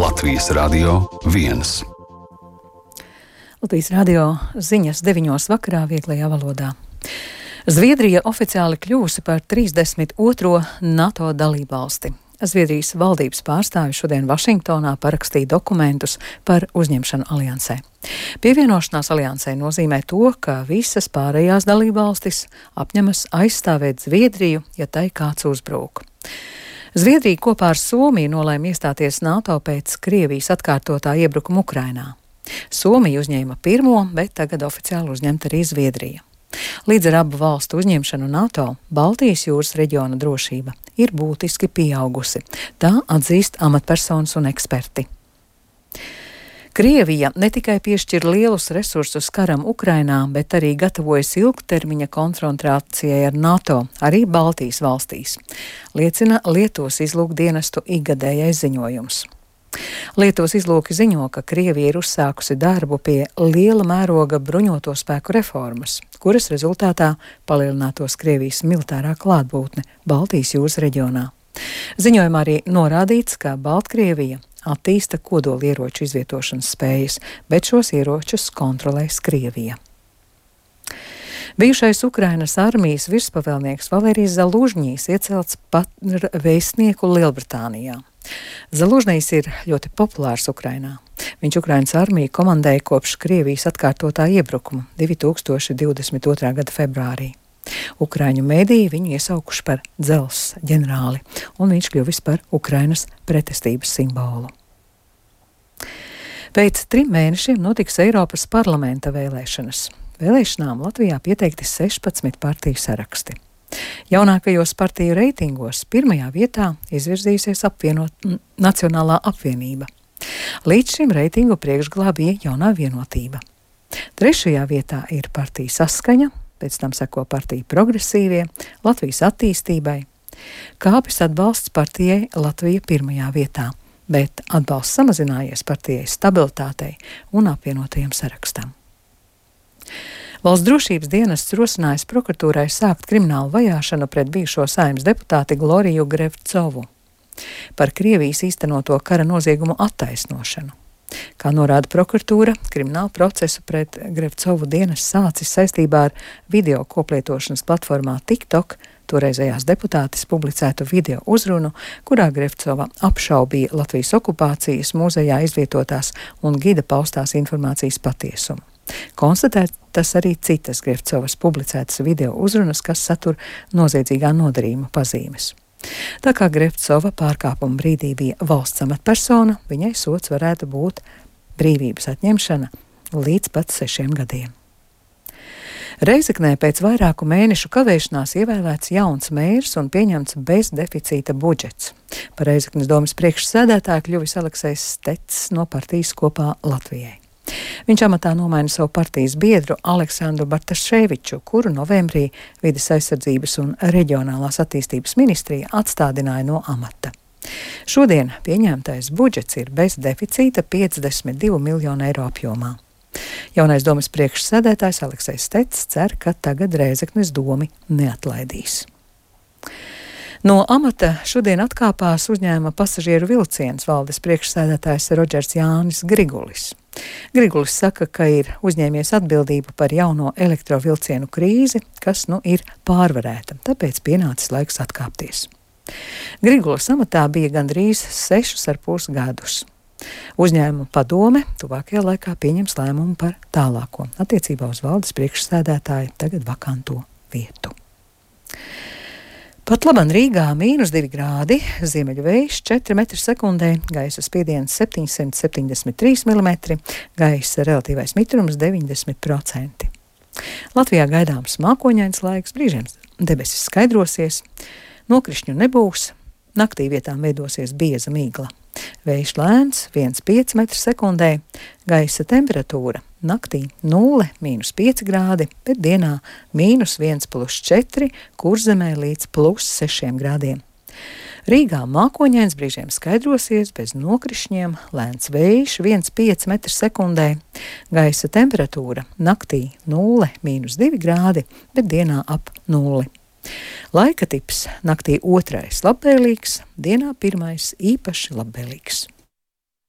Latvijas Radio 1. Latvijas radio ziņas 9. vakarā vieglajā valodā. Zviedrija oficiāli kļūsi par 32. NATO dalībvalsti. Zviedrijas valdības pārstāvi šodien Vašingtonā parakstīja dokumentus par uzņemšanu aliansē. Pievienošanās aliansē nozīmē to, ka visas pārējās dalībvalstis apņemas aizstāvēt Zviedriju, ja tai kāds uzbrūk. Zviedrija kopā ar Somiju nolēma iestāties NATO pēc Krievijas atkārtotā iebrukuma Ukrainā. Somija uzņēma pirmo, bet tagad oficiāli uzņemta arī Zviedrija. Līdz ar abu valstu uzņemšanu NATO Baltijas jūras reģiona drošība ir būtiski pieaugusi. Tā atzīst amatpersonas un eksperti. Krievija ne tikai piešķir lielus resursus karam Ukrainā, bet arī gatavojas ilgtermiņa konfrontācijai ar NATO, arī Baltijas valstīs, liecina Lietuvas izlūkdienestu ikgadējais ziņojums. Lietuvas izlūki ziņo, ka Krievija ir uzsākusi darbu pie liela mēroga bruņoto spēku reformas, kuras rezultātā palielinātos Krievijas militārā klātbūtne Baltijas jūras reģionā. Ziņojumā arī norādīts, ka Baltkrievija attīsta kodolieroču izvietošanas spējas, bet šos ieročus kontrolēs Krievija. Bijušais Ukrainas armijas virspavēlnieks Valērijas Zalužņijs iecelts par vēstnieku Lielbritānijā. Zalužņijs ir ļoti populārs Ukrainā. Viņš Ukrainas armiju komandēja kopš Krievijas atkārtotā iebrukuma 2022. gada februārī. Ukraiņu mēdīji viņu iesaukuši par dzelzs ģenerāli, un viņš kļuvis par Ukrainas pretestības simbolu. Pēc 3 mēnešiem notiks Eiropas parlamenta vēlēšanas. Vēlēšanām Latvijā pieteikti 16 partiju saraksti. Jaunākajos partiju reitingos pirmajā vietā izvirzījusies Nacionālā apvienība. Līdz šim reitingu priekšgalā bija Jaunā vienotība. 3. vietā ir partija Saskaņa, pēc tam seko partija Progresīvie, Latvijas attīstībai. Kāpis atbalsts partijai Latvija 1. vietā, bet atbalsts samazinājies partijai Stabilitātei un apvienotajam sarakstam. Valsts drošības dienests rosinājis prokuratūrai sākt kriminālu vajāšanu pret bijušo Saeimas deputāti Gloriju Grevcovu par Krievijas īstenoto kara noziegumu attaisnošanu. Kā norāda prokuratūra, kriminālu procesu pret Grevcovu dienests sācis saistībā ar video koplietošanas platformā TikTok toreizējās deputātes publicētu video uzrunu, kurā Grevcova apšaubīja Latvijas okupācijas muzejā izvietotās un gida paustās informācijas patiesumu. Konstatētas arī citas Grevcovas publicētas video uzrunas, kas satur noziedzīgā nodarījuma pazīmes. Tā kā Grevcova pārkāpuma brīdī bija valsts amatpersona, viņai sods varētu būt brīvības atņemšana līdz pat 6 gadiem. Reizeknē pēc vairāku mēnešu kavēšanās ievēlēts jauns mērs un pieņemts bezdeficīta budžets. Par Reizeknes domes priekšsēdētāju kļuvis Aleksejs Stets no partijas Kopā Latvijai. Viņš amatā nomaina savu partijas biedru Aleksandru Bartaševiču, kuru novembrī Vides aizsardzības un reģionālās attīstības ministrija atstādināja no amata. Šodien pieņemtais budžets ir bez deficīta 52 miljonu eiro apjomā. Jaunais domes priekšsēdētājs Aleksejs Stets cer, ka tagad Reizeknes domi neatlaidīs. No amata šodien atkāpās uzņēmuma pasažieru vilciens valdes priekšsēdētājs Rodžers Jānis Grigulis. Grigulis saka, ka ir uzņēmies atbildību par jauno elektrovilcienu krīzi, kas ir pārvarēta, tāpēc pienācis laiks atkāpties. Grigulis amatā bija gandrīz 6,5 gadus. Uzņēmuma padome tuvākajā laikā pieņems lēmumu par tālāko attiecībā uz valdes priekšsēdētāju tagad vakanto vietu. Pat labam Rīgā -2 grādi, ziemeļu vējš 4 m/sekundē, gaisa spiediens 773 mm, gaisa relatīvais mitrums 90%. Latvijā gaidāms mākoņains laiks, brīžiem debesis skaidrosies, nokrišņu nebūs, naktī vietām veidosies bieza migla. Vējš lēns 1,5 m/sekundē, gaisa temperatūra naktī 0, -5 grādi, bet dienā -1+4, Kurzemē līdz +6 grādiem. Rīgā mākoņains, brīžiem skaidrosies, bez nokrišņiem, lēns vējš 1,5 m/sekundē, gaisa temperatūra naktī 0, -2 grādi, bet dienā ap 0. Laika tips naktī 2. labvēlīgs, dienā 1. īpaši labvēlīgs.